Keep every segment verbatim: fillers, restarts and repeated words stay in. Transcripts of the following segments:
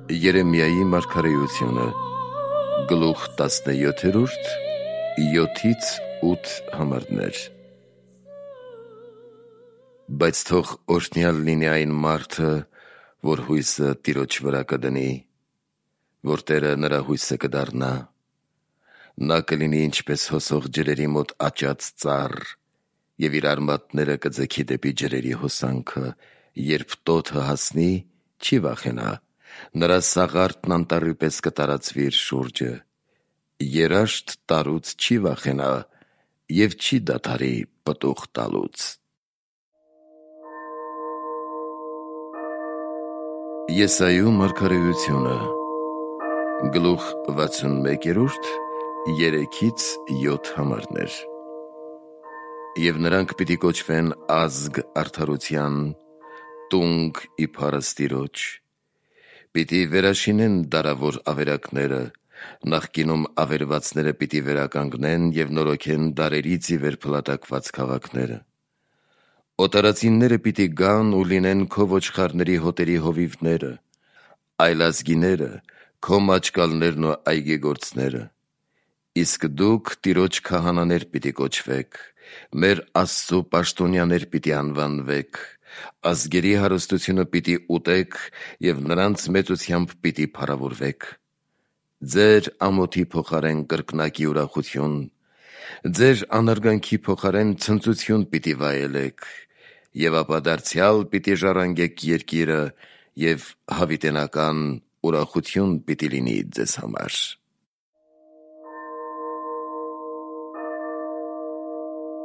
Երեմիայի մարգարեությունը, գլուխ տասնյոթերորդ, յոթից ութ համարներ։ Բայց թող օրհնյալ լինի այն մարդը, որ հույսը Տիրոջ վրա կդնի, որ Տերը նրա հույսը կդառնա։ Նա կլինի ինչպես հոսող ջրերի մոտ աճած ծառ, և իր արմատները կձգի դեպի ջրերի հոսանքը, երբ տոթը հասնի, չի վախենա, նրա սաղարտն անտառի պես կտարածվի իր շուրջը, երաշտ տարուց չի վախենա և չի դադարի պտուղ տալուց։ Եսայու մարգարեությունը, գլուխ վաթսունմեկերորդ, երեքից յոթ համարներ։ Եվ նրանք պիտի կոչվեն ազգ արդարության, տունգ ի փառս Տիրոջ, պիտի վերաշինեն դարավոր ավերակները, նախկինում ավերվածները պիտի վերականգնեն և նորոգեն դարերից ի վեր փլատակված քաղաքները։ Օտարածինները պիտի գան ու լինեն քո ոչխարների հոտերի հովիվները, այլազգիները քո մաճկալներն ու այգեգործները։ Իսկ դուք Տիրոջ քահանաներ պիտի կոչվեք, մեր Աստծու պաշտոնյաներ պիտի անվանվեք, ազգերի հարստությունը պիտի ուտեք և նրանց մեծությամբ պիտի փառավորվեք։ Ձեր ամոթի փոխարեն կրկնակի ուրախություն, ձեր անարգանքի փոխարեն ցնծություն պիտի վայելեք, և ապա դարձյալ պիտի ժառանգեք երկիրը, և հավիտենական ուրախություն պիտի լինի ձեզ համար։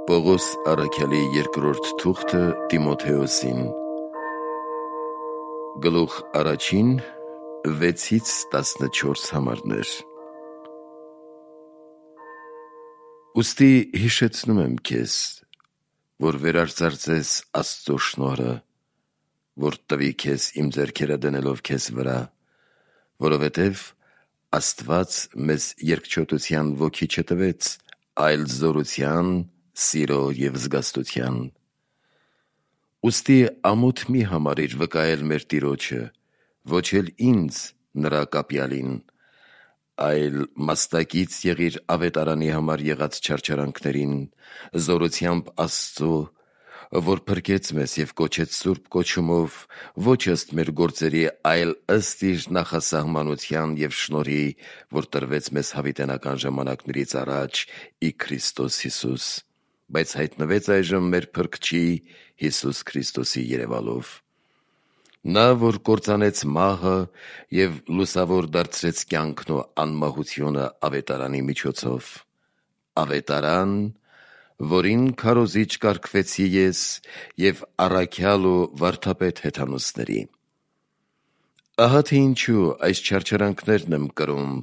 Պողոս առաքյալի երկրորդ թուղթը Տիմոթեոսին, գլուխ առաջին, վեցից տասնչորս համարներ։ Ուստի հիշեցնում եմ քեզ, որ վերարծարծես Աստծո շնորհը, որ տվի քեզ իմ ձեռքերը դնելով քեզ վրա, որովհետև Աստված մեզ երկչոտության ոգի չտվեց, այլ զորության, սիրո և զգաստության։ Ուստի ամոթ մի համարիր վկայել մեր Տիրոջը, ոչ էլ ինձ, նրա կապյալին, այլ մաստակից եղիր ավետարանի համար եղած չարչարանքներին, զորությամբ Աստծո, որ փրկեց մեզ և կոչեց սուրբ կոչումով, ոչ ըստ մեր գործերի, այլ ըստ իր նախասահմանության և շնորհի, որ տրվեց մեզ հավիտենական ժամանակներից առաջ ի Քրիստոս Հիսուս, բայց հայտնվեց այժմ մեր Փրկչի Հիսուս Քրիստոսի երևալով։ Նա, որ կործանեց մահը և լուսավոր դարձրեց կյանքն ու անմահությունը ավետարանի միջոցով, ավետարան, որին քարոզիչ կարգվեցի ես և առաքյալ ու վարդապետ հեթանոսների։ Ահա թե ինչու այս չարչարանքներն եմ կրում,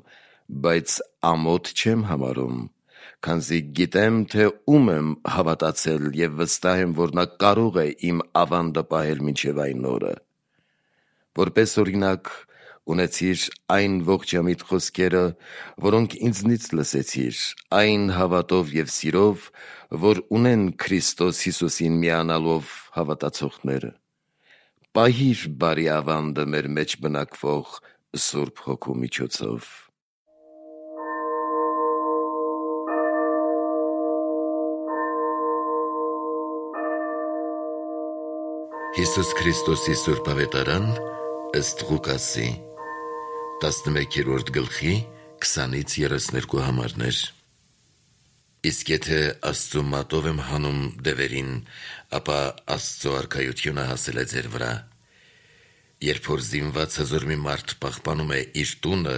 բայց ամոթ չեմ համարում, քանզի գիտեմ, թե ում եմ հավատացել և վստահ եմ, որ նա կարող է իմ ավանդը պահել մինչև այն օրը։ Որպես օրինակ ունեցիր այն ողջամիտ խոսքերը, որոնք ինձնից լսեցիր, այն հավատով և սիրով, որ ունեն Քրիստոս Հիսուսին միանալով հավատացողները։ Պահիր բարի ավանդը մեր մեջ բնակվող Սուրբ Հոգու միջոցով։ Հիսուս Քրիստոսի Սուրբ Ավետարան ըստ Ղուկասի, տասնմեկերորդ գլխի քսանից երեսներկու համարներ։ Իսկ եթե Աստծու մատով եմ հանում դևերին, ապա Աստծո արքայությունը հասել է ձեր վրա։ Երբ որ զինված հզոր մի մարդ պահպանում է իր տունը,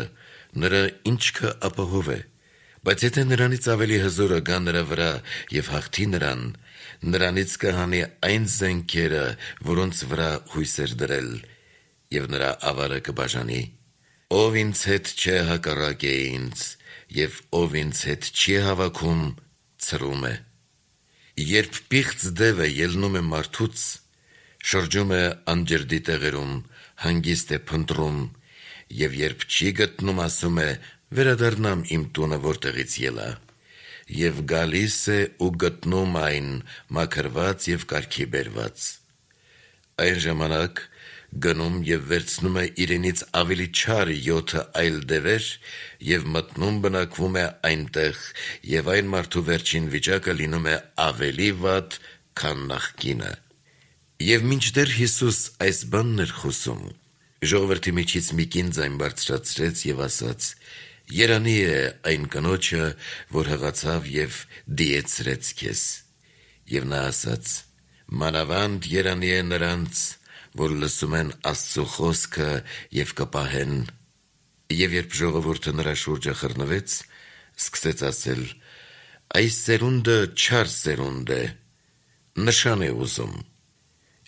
նրա ինչքը ապահով է, բայց եթե նրանից ավելի հզորը գա նրա վրա և հաղթի նրան, նրանից կհանի այն զենքերը, որոնց վրա հույս էր դրել, և նրա ավարը կբաժանի։ Ով ինձ հետ չէ, հակառակ է ինձ, և ով ինձ հետ չի հավաքում, ցրում է։ Երբ պիղծ դևը ելնում է մարդուց, շրջում է անջրդի տեղերում, հանգիստ է փնտրում, և երբ չի գտնում, ասում է. «Վերադառնամ իմ տունը, որտեղից ելա», և գալիս է ու գտնում այն մաքրված և կարգի բերված։ Այն ժամանակ գնում եւ վերցնում է իրենից ավելի չար յոթը այլ դևեր եւ մտնում բնակվում է այնտեղ եւ այն մարդու վերջին վիճակը լինում է ավելի վատ, քան նախկինը։ Եվ մինչդեռ Հիսուս այս բանն էր խոսում, ժողովրդի միջից մի կին ձայն բարձրացրեց եւ ասաց. «Երանի է այն կնոջը, որ հղացավ եւ դիեցրեց քեզ»։ Եվ նա ասաց. «Մանավանդ երանի է նրանց, որ լսում են Աստծո խոսքը եւ կպահեն»։ Եվ երբ ժողովուրդը նրա շուրջը խռնվեց, սկսեց ասել. «Այս սերունդը չար սերունդ է, նշան է ուզում»։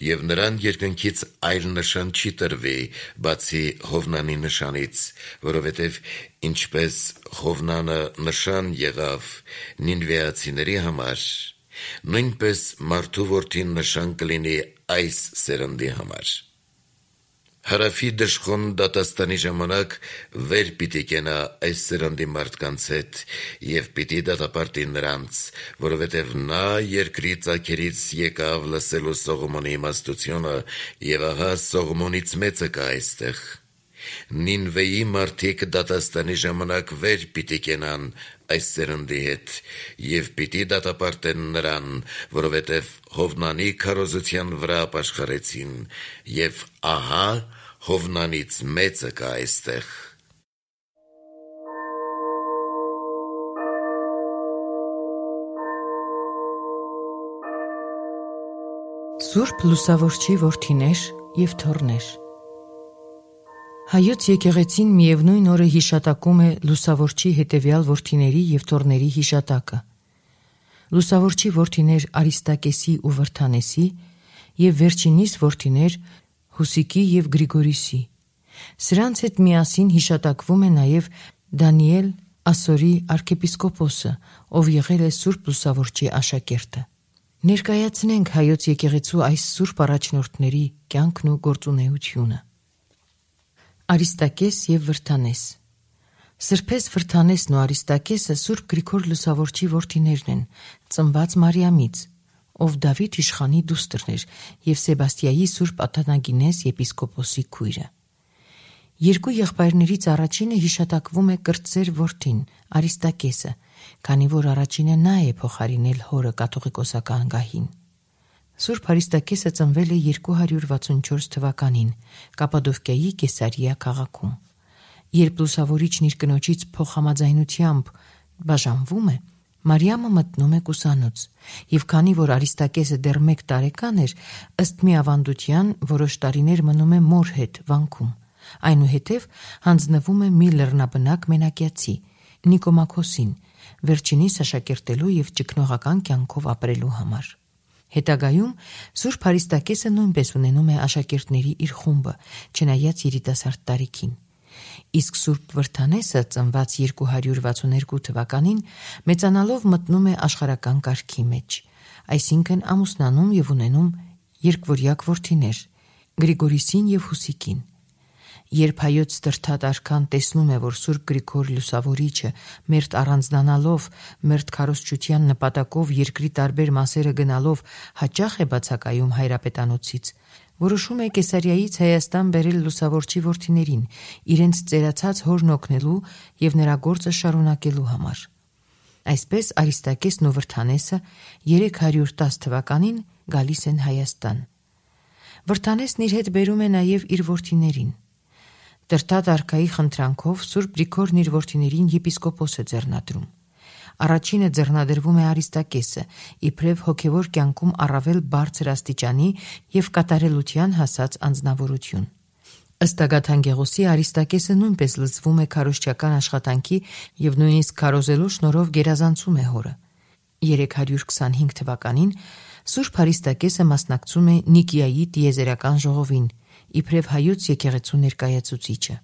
Եվ նրան երկնքից այլ նշան չի տրվի, բացի Հովնանի նշանից, որովհետև ինչպես Հովնանը նշան եղավ նինվեացիների համար, նույնպես մարդու որդին նշան կլինի այս սերնդի համար։ Հարավի դժխոն դատաստանի ժամանակ վեր պիտի կենա այս սերնդի մարդկանց հետ և պիտի դատապարտի նրանց, որովհետև նա երկրի ծագերից եկավ լսելու Սողոմոնի իմաստությունը, և ահա Սողոմոնից մեծը կա այստեղ։ Նինվեի մարդիկ դատաստանի ժամանակ վեր պիտի կենան այս սերնդի հետ և պիտի դատապարտեն նրան, որովհետև Հովնանի քարոզության վրա ապաշխարեցին, և ահա Հովնանից մեծը կա այստեղ։ Սուրբ Լուսավորչի որդիներ և թոռներ։ Հայոց եկեղեցին միևնույն օրը հիշատակում է Լուսավորչի հետևյալ որդիների և թոռների հիշատակը։ Լուսավորչի որդիներ Արիստակեսի ու Վրթանեսի և վերջինիս որդիներ Հուսիկի և Գրիգորիսի։ Սրանց հետ միասին հիշատակվում է նաև Դանիել Ասորի արքեպիսկոպոսը, ով եղել է Սուրբ Լուսավորչի աշակերտը։ Ներկայացնենք հայոց եկեղեցու այս սուրբ առաջնորդների կյանքն ու գործունեությունը։ Արիստակես և Վրթանես։ Սրբես Վրթանեսն ու Արիստակեսը Սուրբ Գրիգոր Լուսավորչի որդիներն են, ծնված Մարիամից, ով Դավիթ իշխանի դուստրն էր և Սեբաստիայի Սուրբ Աթանագինես եպիսկոպոսի քույրը։ Երկու եղբայրներից առաջինը հիշատակվում է կրտսեր որդին Արիստակեսը, քանի որ առաջինը նա է փոխարինել հորը կաթողիկոսական գահին։ Սուրբ Արիստակեսը ծնվել է երկու հարյուր վաթսունչորս թվականին Կապադովկիայի Կեսարիա քաղաքում։ Երբ Լուսավորիչն իր կնոջից փոխհամաձայնությամբ բաժանվում է, Մարիամը մտնում է կուսանոց, և քանի որ Արիստակեսը դեռ մեկ տարեկան էր, ըստ մի ավանդության որոշ տարիներ մնում է մոր հետ վանքում, այնուհետև հանձնվում է մի լեռնաբնակ մենակյացի Նիկոմաքոսին, վերջինիս աշակերտելու և ճգնողական կյանքով ապրելու համար։ Հետագայում Սուրբ Արիստակեսը նույնպես ունենում է աշակերտների իր խումբը, չնայած երիտասարդ տարիքին։ Իսկ Սուրբ Վրթանեսը ծնված երկու հարյուր վաթսուներկու թվականին մեծանալով մտնում է աշխարհական կարգի մեջ, այսինքն ամուսնանում և ունենում երկվորյակ որդիներ՝ Գրիգորիսին և Հուսիկին։ Երբ հայոց Ստրթատ արքան տեսնում է, որ Սուրբ Գրիգոր Լուսավորիչը մերթ առանձնանալով, մերթ քարոզչության նպատակով երկրի տարբեր մասերը գնալով հաճախ է բացակայում հայրապետանոցից, որոշում է Կեսարիայից Հայաստան բերել Լուսավորչի որդիներին, իրենց ծերացած հորն օգնելու և նրա գործը շարունակելու համար։ Այսպես Արիստակեսն ու Վրթանեսը երեք հարյուր տասը թվականին գալիս են Հայաստան։ Վրթանեսն իր հետ բերում է նաև իր որդիներին։ Տրտատ արքայի խնդրանքով Սուրբ Գրիգորն իր որդիներին եպիսկոպոս է ձեռնադրում։ Առաջինը ձեռնադրվում է Արիստակեսը, իբրև հոգևոր կյանքում առավել բարձր աստիճանի և կատարելության հասած անձնավորություն։ Ըստ Ագաթան Գեղոսի Արիստակեսը նույնպես լծվում է քարոզչական աշխատանքի և նույնիսկ քարոզելու շնորհով գերազանցում է հորը։ երեք հարյուր քսանհինգ թվականին Սուրբ Արիստակեսը մասնակցում է Նիկիայի տիեզերական ժողովին, իբրև հայոց եկեղեցու ներկայացուցիչը։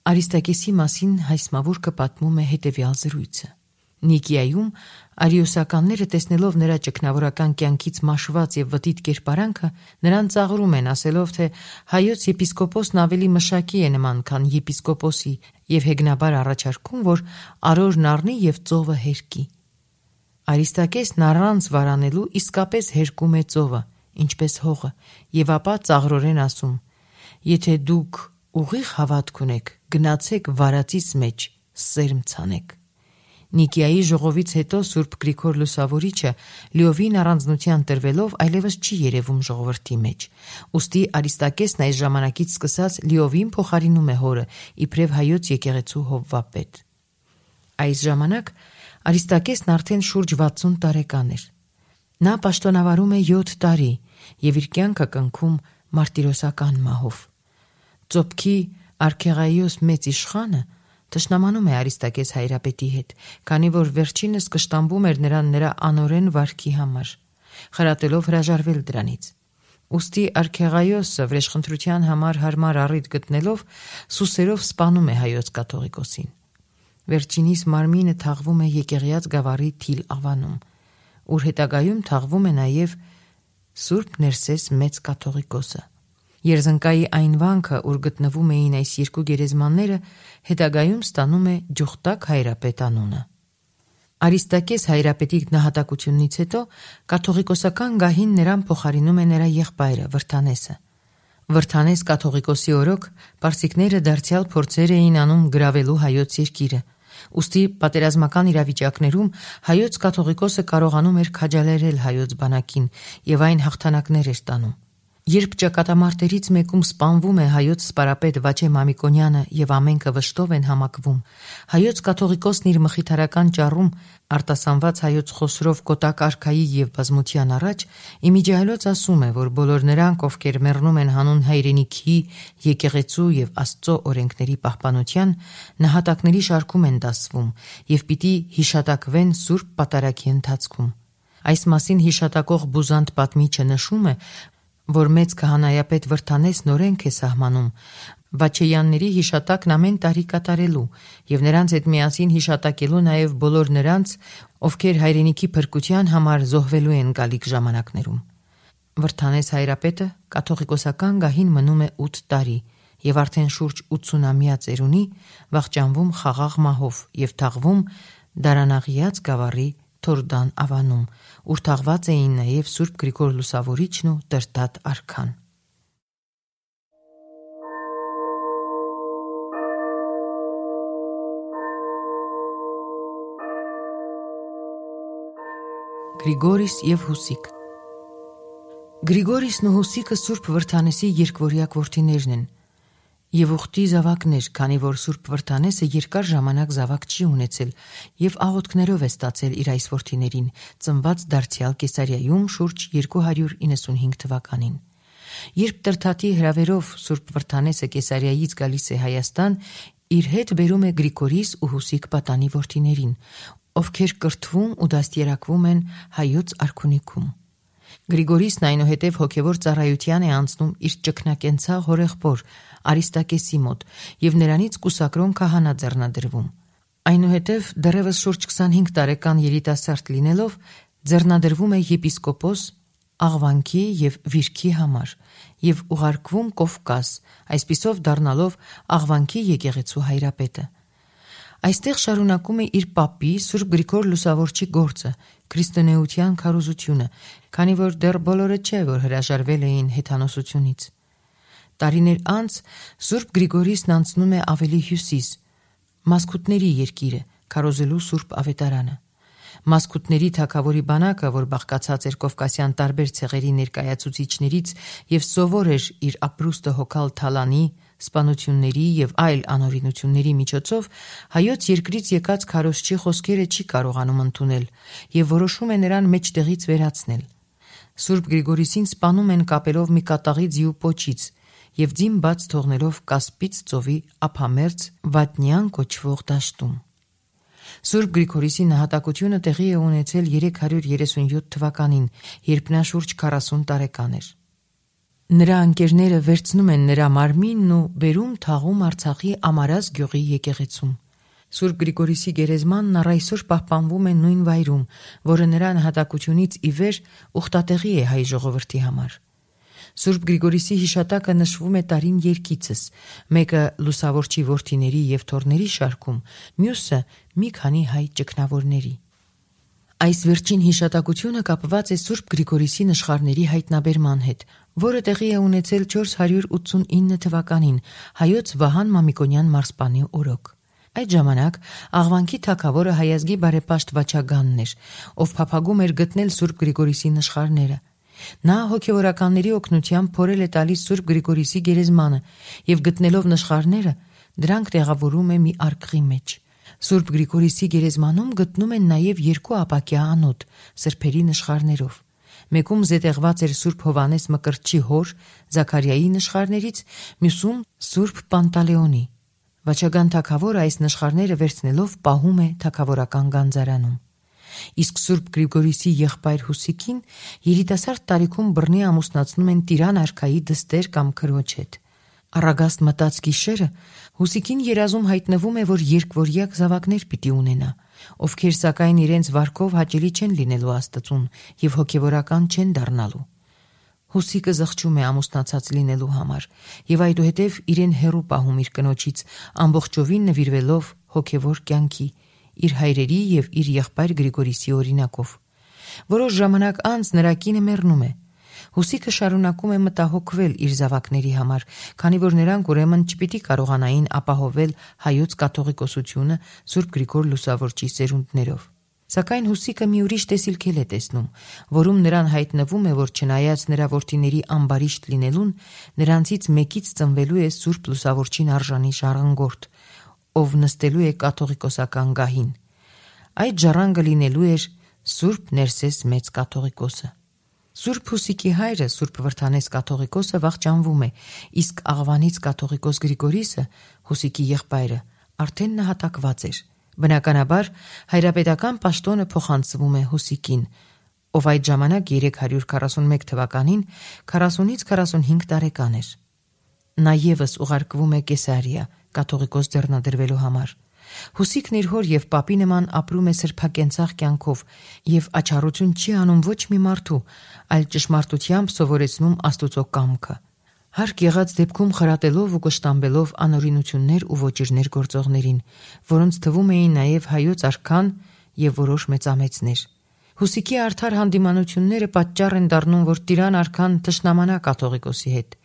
Արիստակեսի մասին Հայսմավուրկը պատմում է հետևյալ զրույցը. Նիկիայում արիոսականները տեսնելով նրա ճգնավորական կյանքից մաշված և վտիտ կերպարանքը, նրան ծաղրում են, ասելով, թե հայոց եպիսկոպոսն ավելի մշակի է նման, քան եպիսկոպոսի, և հեգնաբար առաջարկում, որ արորն առնի և ծովը հերկի։ Արիստակեսն առանց վարանելու իսկապես հերկում է ծովը, ինչպես հողը, եւ ապա ծաղրորեն ասում. «Եթե դուք ուղիղ հավատք ունեք, գնացեք վարածից մեջ, սերմ ցանեք»։ Նիկիայի ժողովից հետո Սուրբ Գրիգոր Լուսավորիչը լիովին առանձնության տրվելով այլևս չի երևում ժողովրդի մեջ։ Ուստի Արիստակեսն այս ժամանակից սկսած լիովին փոխարինում է հորը, իբրև հայոց եկեղեցու հովվապետ։ Այս ժամանակ Արիստակեսն արդեն շուրջ վաթսուն տարեկան էր։ Նա պաշտոնավարում է յոթ տարի եւ իր կյանքը կնքում մարտիրոսական մահով։ Ծոպքի Արքեղայոս մեծ իշխանը թշնամանում է Արիստակես հայրապետի հետ, քանի որ վերջինս կշտամբում էր նրան նրա անօրեն վարքի համար, խրատելով հրաժարվել դրանից։ Ուստի Արքեղայոսը վրեժխնդրության համար հարմար առիթ գտնելով սուսերով սպանում է հայոց կաթողիկոսին։ Վերջինիս մարմինը թաղվում է Եկեղյաց գավառի Թիլ ավանում, ուր հետագայում թաղվում է նաև Սուրբ Ներսես մեծ կաթողիկոսը։ Երզնկայի այն վանքը, ուր գտնվում էին այս երկու գերեզմանները, հետագայում ստանում է Ջուխտակ հայրապետ անունը։ Արիստակես հայրապետի նահատակությունից հետո կաթողիկոսական գահին նրան փոխարինում է նրա եղբայրը Վրթանեսը։ Վրթանես կաթողիկոսի օրոք պարսիկները դարձյալ փորձեր էին անում գրավելու հայոց երկիրը։ Ուստի պատերազմական իրավիճակներում հայոց կաթողիկոսը կարողանում էր քաջալերել հայոց բանակին եւ այն հաղթանակներ էր տանում։ Երբ ճակատամարտերից մեկում սպանվում է հայոց սպարապետ Վաչե Մամիկոնյանը եւ ամենքը վշտով են համակվում, հայոց կաթողիկոսն իր մխիթարական ճառում արտասանված հայոց խոսրով կոտակ արքայի եւ բազմության առաջ իմիջիայլոց ասում է, որ բոլոր նրանք, ովքեր մեռնում են հանուն հայրենիքի, եկեղեցու եւ Աստծո օրենքների պահպանության, նահատակների շարքում են դասվում եւ պիտի հիշատակվեն Սուրբ Պատարագի ընթացքում։ Այս մասին հիշատակող Բուզանտ պատմիչը նշում է, որ մեծ քահանայապետ Վրթանեսն օրենք է սահմանում Վաչեյանների հիշատակն ամեն տարի կատարելու եւ նրանց հետ միասին հիշատակելու նաեւ բոլոր նրանց, ովքեր հայրենիքի փրկության համար զոհվելու են գալիք ժամանակներում։ Վրթանես հայրապետը կաթողիկոսական գահին մնում է ութ տարի եւ արդեն շուրջ ութսունամյա ծերունի վախճանվում խաղաղ մահով եւ թաղվում Դարանաղիած գավառի Թորդան ավանում, ուր թաղված էին նաև Սուրբ Գրիգոր Լուսավորիչն ու Տրտատ արքան։ Գրիգորիս եւ Հուսիկ։ Գրիգորիսն ու Հուսիկը Սուրբ Վրթանեսի երկվորյակ որդիներն են եւ ուխտի զավակներ, քանի որ Սուրբ Վրթանեսը երկար ժամանակ զավակ չի ունեցել եւ աղոթքներով է ստացել իր այս որդիներին, ծնված դարձյալ Կեսարիայում շուրջ երկու հարյուր իննսունհինգ թվականին։ Երբ Տրթատի հրավերով Սուրբ Վրթանեսը Կեսարիայից գալիս է Հայաստան, իր հետ բերում է Գրիգորիս ու Հուսիկ պատանի որդիներին, ովքեր կրթվում ու դաստիարակվում են հայոց արքունիքում։ Գրիգորիսն այնուհետև հոգևոր ծառայության է անցնում իր ճգնակենցաղ հորեղբոր Արիստակեսի մոտ եւ նրանից կուսակրոն քահանա ձեռնադրվում։ Այնուհետև դեռևս շուրջ քսանհինգ տարեկան երիտասարդ լինելով ձեռնադրվում է եպիսկոպոս աղվանքի եւ վիրքի համար եւ ուղարկվում Կովկաս, այսպիսով դառնալով աղվանքի եկեղեցու հայրապետը։ Այստեղ շարունակում է իր պապի Սուրբ Գրիգոր Լուսավորչի գործը, քրիստոնեության քարոզությունը, քանի որ դեռ բոլորը չէ, որ հրաժարվել էին հեթանոսությունից։ Տարիներ անց Սուրբ Գրիգորիսն անցնում է ավելի հյուսիս, Մասկուտների երկիրը, քարոզելու Սուրբ Ավետարանը։ Մասկուտների թագավորի բանակը, որ բաղկացած էր կովկասյան տարբեր ցեղերի ներկայացուցիչներից եւ սովոր էր իր ապրուստը հոգալ թալանի, սպանությունների եւ այլ անօրինությունների միջոցով, հայոց երկրից եկած քարոզչի խոսքերը չի կարողանում ընդունել եւ որոշում է նրան մեջտեղից վերացնել։ Սուրբ Գրիգորիսին սպանում են կապելով մի կատաղի ձիու պոչից եւ ձին բաց թողնելով Կասպից ծովի ափամերձ Վատնյան կոչվող դաշտում։ Սուրբ Գրիգորիսի նահատակությունը տեղի է ունեցել երեք հարյուր երեսունյոթ թվականին, երբ նա շուրջ քառասուն տարեկան էր։ Նրա ընկերները վերցնում են նրա մարմինն ու բերում թաղում Արցախի Ամարաս գյուղի եկեղեցում։ Սուրբ Գրիգորիսի գերեզմանն առ այսօր պահպանվում է նույն վայրում, որը նրա նահատակությունից ի վեր ուխտատեղի է հայ ժողովրդի համար։ Սուրբ Գրիգորիսի հիշատակը նշվում է տարին երկիցս, մեկը Լուսավորչի որդիների եւ թոռների շարքում, մյուսը մի քանի հայ ճգնավորների։ Այս վերջին հիշատակությունը կապված է Սուրբ Գրիգորիսի նշխարների հայտնաբերման հետ, որը տեղի է ունեցել չորս հարյուր ութսունինը թվականին հայոց Վահան Մամիկոնյան մարզպանի օրոք։ Այդ ժամանակ Աղվանքի թագավորը հայազգի բարեպաշտ Վաչագանն էր, ով փափագում էր գտնել Սուրբ Գրիգորիսի նշխարները։ Նա հոգևորականների օգնությամբ փորել է տալիս Սուրբ Գրիգորիսի գերեզմանը եւ գտնելով նշխարները դրանք տեղավորում է մի արկղի մեջ։ Սուրբ Գրիգորիսի գերեզմանում գտնում են նաև երկու ապակյա անոթ սրբերի նշխարներով։ Մեկում զետեղված էր Սուրբ Հովանես Մկրտչի հոր Զաքարիայի նշխարներից, մյուսում Սուրբ Պանտալեոնի։ Վաչագան թագավորը այս նշխարները վերցնելով պահում է թագավորական գանձարանում։ Իսկ Սուրբ Գրիգորիսի եղբայր Հուսիկին երիտասարդ տարիքում բռնի ամուսնացնում են Տիրան արքայի դստեր կամ քրոջ հետ։ Առագաստ մտած գիշերը Հուսիկին երազում հայտնվում է, որ երկվորյակ զավակներ պիտի ունենա, ովքեր սակայն իրենց վարքով հաճելի չեն լինելու Աստծուն եւ հոգևորական չեն դառնալու։ Հուսիկը զղջում է ամուսնացած լինելու համար եւ այդուհետեւ իրեն հեռու պահում իր կնոջից, ամբողջովին նվիրվելով հոգևոր կյանքի, իր հայրերի եւ իր եղբայր Գրիգորիսի օրինակով։ Որոշ ժամանակ անց նրա կինը մեռնում է։ Հուսիկը շարունակում է մտահոգվել իր զավակների համար, քանի որ նրանք ուրեմն չպիտի կարողանային ապահովել հայոց կաթողիկոսությունը Սուրբ Գրիգոր Լուսավորչի սերունդներով։ Սակայն Հուսիկը մի ուրիշ տեսիլքել է տեսնում, որում նրան հայտնվում է, որ չնայած նրա որդիների ամբարիշտ լինելուն, նրանցից մեկից ծնվելու է Սուրբ Լուսավորչին արժանի ժառանգորդ, ով նստելու է կաթողիկոսական գահին։ Այդ ժառանգը լինելու էր Սուրբ Ներսես մեծ կաթողիկոսը։ Սուրբ Հուսիկի հայրը Սուրբ Վրդանես կաթողիկոսը վախճանվում է, իսկ Աղվանից կաթողիկոս Գրիգորիսը, Հուսիկի եղբայրը, արդեն նահատակված էր։ Բնականաբար հայրապետական պաշտոնը փոխանցվում է Հուսիկին, ով այդ ժամանակ երեք հարյուր քառասունմեկ թվականին քառասունից քառասունհինգ տարեկան էր։ Նա ևս ուղարկվում է Կեսարիա կաթողիկոս ձեռնադրվելու համար։ Հուսիկն իր հոր եւ պապի նման ապրում է սրբակենցաղ կյանքով եւ աչառություն չի անում ոչ մի մարդու, այլ ճշմարտությամբ սովորեցնում Աստուծո կամքը։ Հարկ եղած դեպքում խրատելով ու կշտամբելով անօրինություններ ու ոճիրներ գործողներին, որոնց թվում էին նաև հայոց արքան եւ որոշ մեծամեծներ։ Հուսիկի արդար հանդիմանությունները պատճառ են դառնում, որ Տիրան արքան թշնամանա կաթողիկոսի հետ,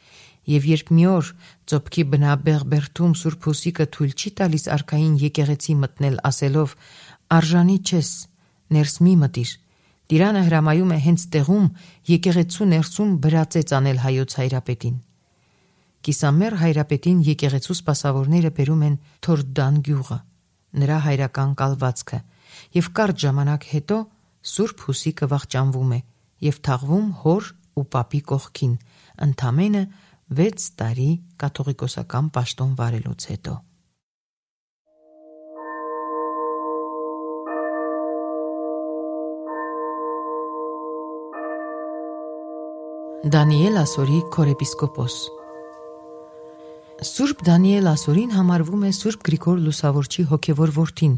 եւ երբ մի օր ծոփքի բնաբեղբերթում Սուրբ Հուսիկը թույլ չի տալիս արքային եկեղեցի մտնել, ասելով «Արժանի չես, ներս մի մտիր», Տիրանը հրամայում է հենց տեղում եկեղեցու ներսում բրածեց անել հայոց հայրապետին։ Կիսամեռ հայրապետին եկեղեցու սպասավորները բերում են Թորդան գյուղը, նրա հայրական կալվածքը, եւ կարճ ժամանակ հետո Սուրբ Հուսիկը վախճանվում է եւ թաղվում հոր ու պապի կողքին, ընդամենը վեց տարի կաթողիկոսական պաշտոն վարելուց հետո։ Դանիել Ասորի քորեպիսկոպոս։ Սուրբ Դանիել Ասորին համարվում է Սուրբ Գրիգոր Լուսավորչի հոգևոր որդին,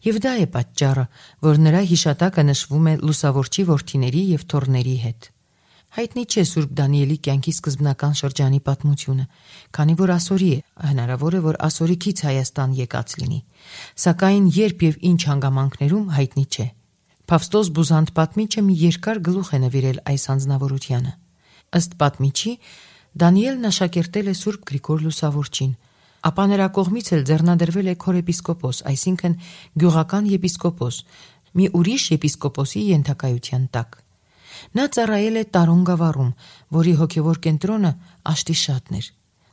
եւ դա է պատճառը, որ նրա հիշատակը նշվում է Լուսավորչի որդիների եւ թոռների հետ։ Հայտնի չէ Սուրբ Դանիելի կյանքի սկզբնական շրջանի պատմությունը, քանի որ Ասորի է, հնարավոր է, որ Ասորիկից Հայաստան եկած լինի, սակայն երբ եւ ինչ հանգամանքներում հայտնի չէ։ Փավստոս Բուզանդ պատմիչը մի երկար գլուխ է նվիրել այս անձնավորությանը։ Ըստ պատմիչի, Դանիելն աշակերտել է Սուրբ Գրիգոր Լուսավորչին, ապա նրա կողմից էլ ձեռնադրվել է քորեպիսկոպոս, այսինքն գյուղական եպիսկոպոս, մի ուրիշ եպիսկոպոսի ենթակայության տակ։ Նա ծառայել է Տարուն գավառում, որի հոգևոր կենտրոնը Աշտիշատն էր։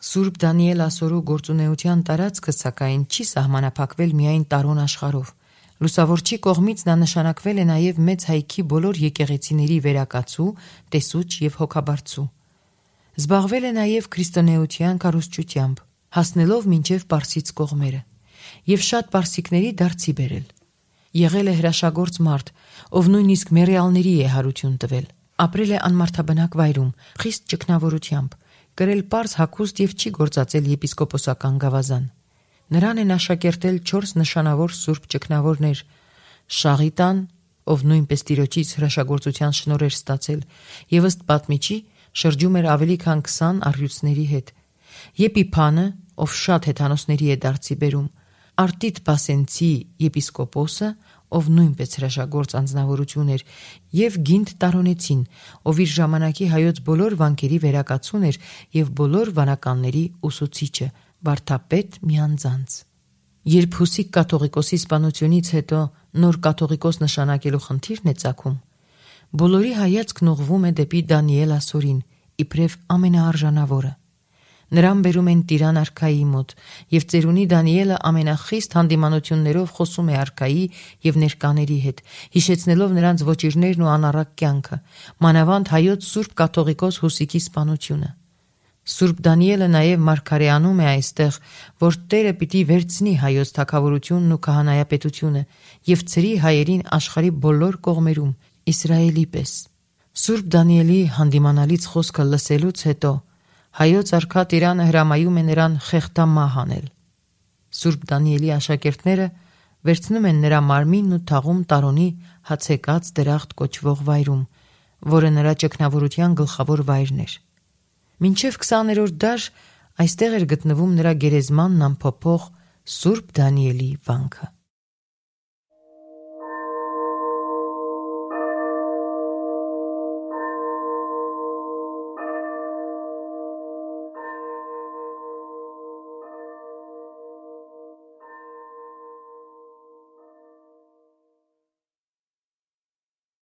Սուրբ Դանիել Ասորու գործունեության տարածքը սակայն չի սահմանափակվել միայն Տարուն աշխարհով։ Լուսավորչի կողմից նա նշանակվել է նաև մեծ հայքի բոլոր եկեղեցիների վերակացու, տեսուչ եւ հոգաբարձու։ Զբաղվել է նաև քրիստոնեության կառուցչությամբ, հասնելով մինչև Պարսից կողմերը, եւ շատ պարսիկների դարձի բերել։ Եղել է հրաշագործ մարդ, ով նույնիսկ մեռյալների է հարություն տվել։ Ապրել է անմարդաբնակ վայրում, խիստ ճգնավորությամբ, կրել պարզ հագուստ եւ չի գործածել եպիսկոպոսական գավազան։ Նրան են աշակերտել չորս նշանավոր սուրբ ճգնավորներ՝ Շաղիտան, ով նույնպես Տիրոջից հրաշագործության շնորհ էր ստացել, եւ ըստ պատմիչի շրջում էր ավելի քան քսան առյուծների հետ, Եփիփանը, ով շատ հեթանոսների է դարձի բերում, Արտիտ Պասենցի եպիսկոպոսը, ով նույնպես հրաշագործ անձնավորություն էր, եւ Գինդ Տարոնեցին, ով իր ժամանակի հայոց բոլոր վանքերի վերակացուն էր եւ բոլոր վանականների ուսուցիչը, վարդապետ միանձանց։ Երբ Հուսիկ կաթողիկոսի սպանությունից հետո նոր կաթողիկոս նշանակելու խնդիրն է ծագում, բոլորի հայացքն ուղղվում է դեպի Դանիել ասորին, իբրև ամենաարժանավորը։ Նրան բերում են Տիրան արքայի մոտ, եւ ծերունի Դանիելը ամենախիստ հանդիմանություններով խոսում է արքայի եւ ներկաների հետ, հիշեցնելով նրանց ոճիրներն ու անառակ կյանքը, մանավանդ հայոց Սուրբ կաթողիկոս Հուսիկի սպանությունը։ Սուրբ Դանիելը նաեւ մարգարեանում է այստեղ, որ Տերը պիտի վերցնի հայոց թագավորությունն ու քահանայապետությունը եւ ծրի հայերին աշխարհի բոլոր կողմերում, Իսրայելի պես։ Սուրբ Դանիելի հանդիմանալից խոսքը լսելուց հետո հայոց արքա Տիրանը հրամայում է նրան խեղդամահ անել։ Սուրբ Դանիելի աշակերտները վերցնում են նրա մարմինն ու թաղում Տարոնի հացեկած դրախտ կոչվող վայրում, որը նրա ճգնավորության գլխավոր վայրն էր։ Մինչև քսաներորդ դար այստեղ էր գտնվում նրա գերեզմանն ամփոփող Սուրբ Դանիելի վանքը։